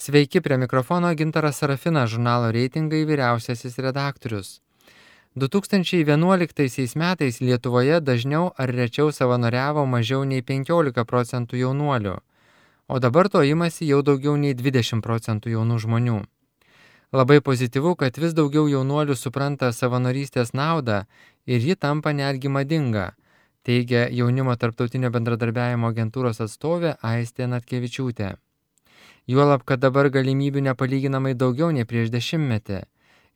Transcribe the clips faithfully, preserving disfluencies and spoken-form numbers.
Sveiki, prie mikrofono Gintaras Sarafinas, žurnalo Reitingai vyriausiasis redaktorius. du tūkstančiai vienuoliktaisiais metais Lietuvoje dažniau ar rečiau savanoriavo mažiau nei penkiolika procentų jaunuolių, o dabar to imasi jau daugiau nei dvidešimt procentų jaunų žmonių. Labai pozityvu, kad vis daugiau jaunuolių supranta savanorystės naudą ir ji tampa netgi madinga, teigia Jaunimo tarptautinio bendradarbiavimo agentūros atstovė Aistė Natkevičiūtė. Juolab, kad dabar galimybių nepalyginamai daugiau nei prieš dešimtmetį.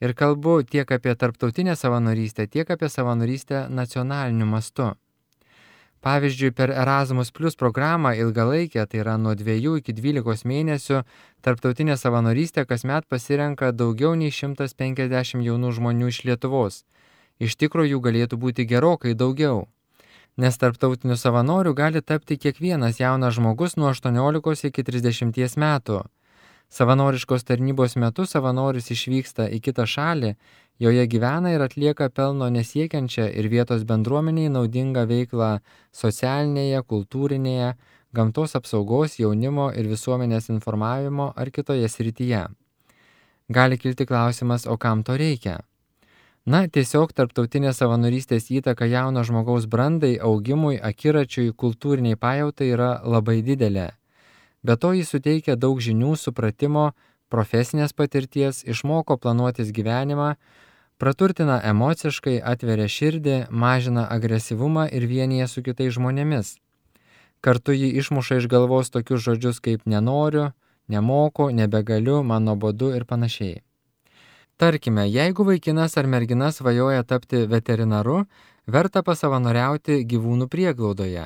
Ir kalbu tiek apie tarptautinę savanorystę, tiek apie savanorystę nacionaliniu mastu. Pavyzdžiui, per Erasmus Plus programą ilgalaikę, tai yra nuo dviejų iki dvylikos mėnesių, tarptautinė savanorystė kasmet pasirenka daugiau nei šimtas penkiasdešimt jaunų žmonių iš Lietuvos. Iš tikrųjų jų galėtų būti gerokai daugiau. Nes tarptautinių savanorių gali tapti kiekvienas jaunas žmogus nuo aštuoniolikos iki trisdešimties metų. Savanoriškos tarnybos metu savanoris išvyksta į kitą šalį, joje gyvena ir atlieka pelno nesiekiančią ir vietos bendruomeniai naudingą veiklą socialinėje, kultūrinėje, gamtos apsaugos, jaunimo ir visuomenės informavimo ar kitoje srityje. Gali kilti klausimas, o kam to reikia? Na, tiesiog tarptautinės savanorystės įtaka jauno žmogaus brandai, augimui, akiračiui, kultūriniai pajautai yra labai didelė. Be to jis suteikia daug žinių, supratimo, profesinės patirties, išmoko planuotis gyvenimą, praturtina emociškai, atveria širdį, mažina agresyvumą ir vienyje su kitais žmonėmis. Kartu jį išmuša iš galvos tokius žodžius kaip nenoriu, nemoku, nebegaliu, man nuobodu ir panašiai. Tarkime, jeigu vaikinas ar mergina svajoja tapti veterinaru, verta pasavanoriauti gyvūnų prieglaudoje,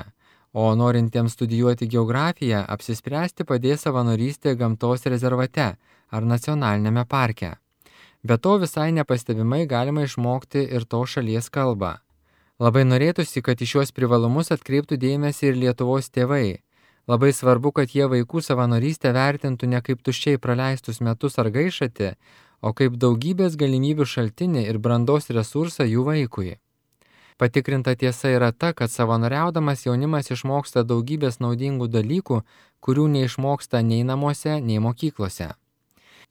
o norintiems studijuoti geografiją apsispręsti padės savanorystė gamtos rezervate ar nacionalinėme parke. Be to visai nepastebimai galima išmokti ir to šalies kalbą. Labai norėtųsi, kad į šiuos privalumus atkreiptų dėmesį ir Lietuvos tėvai. Labai svarbu, kad jie vaikų savanorystę vertintų ne kaip tuščiai praleistus metus ar gaišatį, o kaip daugybės galimybių šaltinį ir brandos resursą jų vaikui. Patikrinta tiesa yra ta, kad savanoriaudamas jaunimas išmoksta daugybės naudingų dalykų, kurių neišmoksta nei namuose, nei mokyklose.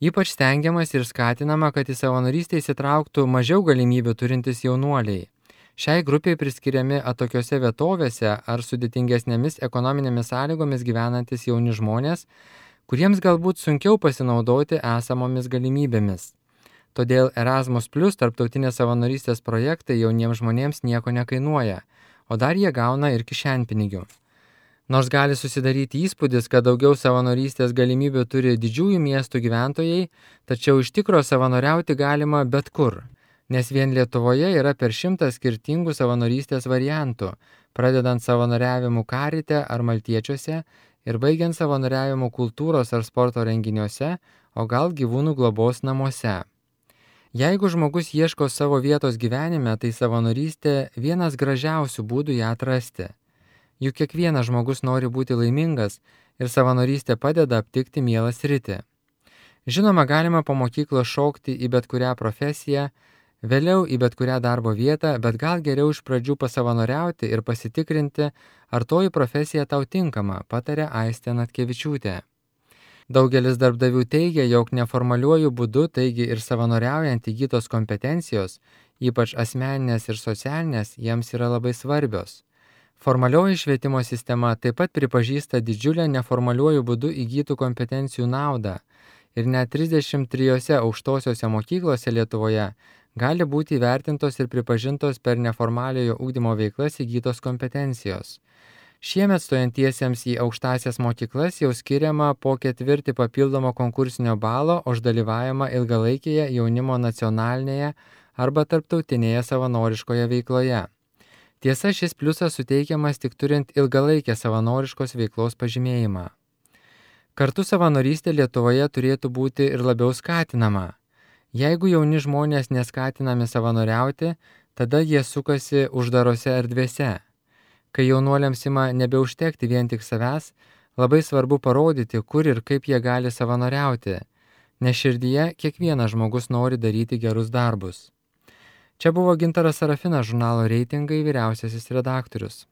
Ypač stengiamas ir skatinama, kad į savanorystę įsitrauktų mažiau galimybių turintys jaunuoliai. Šiai grupiai priskiriami atokiose vietovėse ar sudėtingesnėmis ekonominėmis sąlygomis gyvenantis jauni žmonės, kuriems galbūt sunkiau pasinaudoti esamomis galimybėmis. Todėl Erasmus Plus tarptautinės savanorystės projektai jauniems žmonėms nieko nekainuoja, o dar jie gauna ir kišenpinigių. Nors gali susidaryti įspūdis, kad daugiau savanorystės galimybių turi didžiųjų miestų gyventojai, tačiau iš tikro savanoriauti galima bet kur, nes vien Lietuvoje yra per šimtą skirtingų savanorystės variantų, pradedant savanoriavimu Karite ar Maltiečiuose ir baigiant savanoriavimu kultūros ar sporto renginiuose, o gal gyvūnų globos namuose. Jeigu žmogus ieško savo vietos gyvenime, tai savanorystė vienas gražiausių būdų ją atrasti. Juk kiekvienas žmogus nori būti laimingas ir savanorystė padeda aptikti mielą sritį. Žinoma, galima po mokyklos šokti į bet kurią profesiją, vėliau į bet kurią darbo vietą, bet gal geriau iš pradžių pasavanoriauti ir pasitikrinti, ar toji profesija tau tinkama, patarė Aistė Natkevičiūtė. Daugelis darbdavių teigia, jog neformaliuoju būdu, taigi ir savanoriaujant įgytos kompetencijos, ypač asmeninės ir socialinės, jiems yra labai svarbios. Formalioji švietimo sistema taip pat pripažįsta didžiulę neformaliuoju būdu įgytų kompetencijų naudą ir net trisdešimt trijose aukštosiose mokyklose Lietuvoje gali būti įvertintos ir pripažintos per neformaliojo ugdymo veiklas įgytos kompetencijos. Šiemet stojantiesiems į aukštąsias mokyklas jau skiriama po ketvirtį papildomo konkursinio balo už dalyvavimą ilgalaikėje jaunimo nacionalinėje arba tarptautinėje savanoriškoje veikloje. Tiesa, šis pliusas suteikiamas tik turint ilgalaikę savanoriškos veiklos pažymėjimą. Kartu savanorystė Lietuvoje turėtų būti ir labiau skatinama. Jeigu jauni žmonės neskatinami savanoriauti, tada jie sukasi uždarose erdvėse. Kai jaunuoliams ima nebeužtekti vien tik savęs, labai svarbu parodyti, kur ir kaip jie gali savanoriauti, nes širdyje kiekvienas žmogus nori daryti gerus darbus. Čia buvo Gintaras Sarafinas, žurnalo Reitingai vyriausiasis redaktorius.